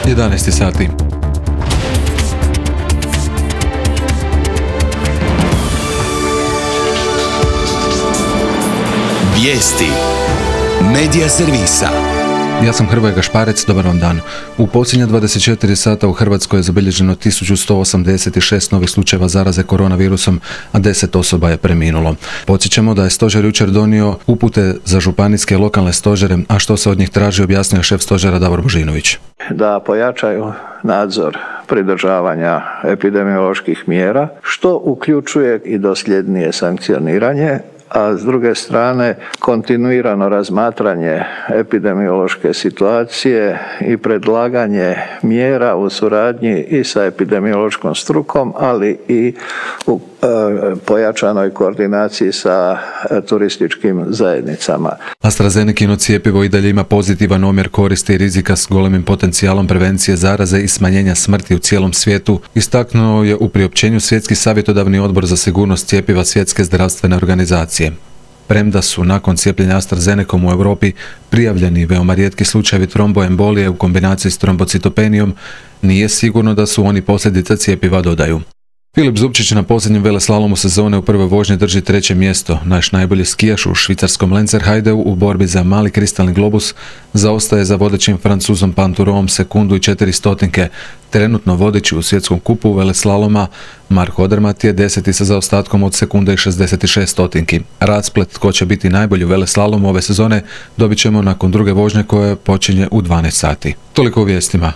11 sati. Vijesti Medija servisa. Ja sam Hrvoje Gašparec, dobar vam dan. U posljednja 24 sata u Hrvatskoj je zabilježeno 1186 novih slučajeva zaraze koronavirusom, a 10 osoba je preminulo. Podsjećamo da je stožer jučer donio upute za županijske i lokalne stožere, a što se od njih traži objasnio šef stožera Davor Božinović. Da pojačaju nadzor pridržavanja epidemioloških mjera, što uključuje i dosljednije sankcioniranje, a s druge strane kontinuirano razmatranje epidemiološke situacije i predlaganje mjera u suradnji i sa epidemiološkom strukom, ali i u pojačanoj koordinaciji sa turističkim zajednicama. AstraZenecino cjepivo i dalje ima pozitivan omjer koristi i rizika s golemim potencijalom prevencije zaraze i smanjenja smrti u cijelom svijetu, istaknuo je u priopćenju Svjetski savjetodavni odbor za sigurnost cjepiva Svjetske zdravstvene organizacije. Premda su nakon cijepljenja AstraZenecom u Europi prijavljeni veoma rijetki slučajevi tromboembolije u kombinaciji s trombocitopenijom, nije sigurno da su oni posljedica cjepiva, dodaju. Filip Zupčić na posljednjem veleslalomu sezone u prvoj vožnji drži 3. mjesto. Naš najbolji skijaš u švicarskom Lenzerheideu u borbi za mali kristalni globus zaostaje za vodećim Francuzom Panturom sekundu i 400. Trenutno vodeći u svjetskom kupu veleslaloma Mark Odermatt je 10. sa zaostatkom od sekunde i 66. Rasplet tko će biti najbolji u veleslalomu ove sezone dobit ćemo nakon druge vožnje koja počinje u 12 sati. Toliko u vijestima.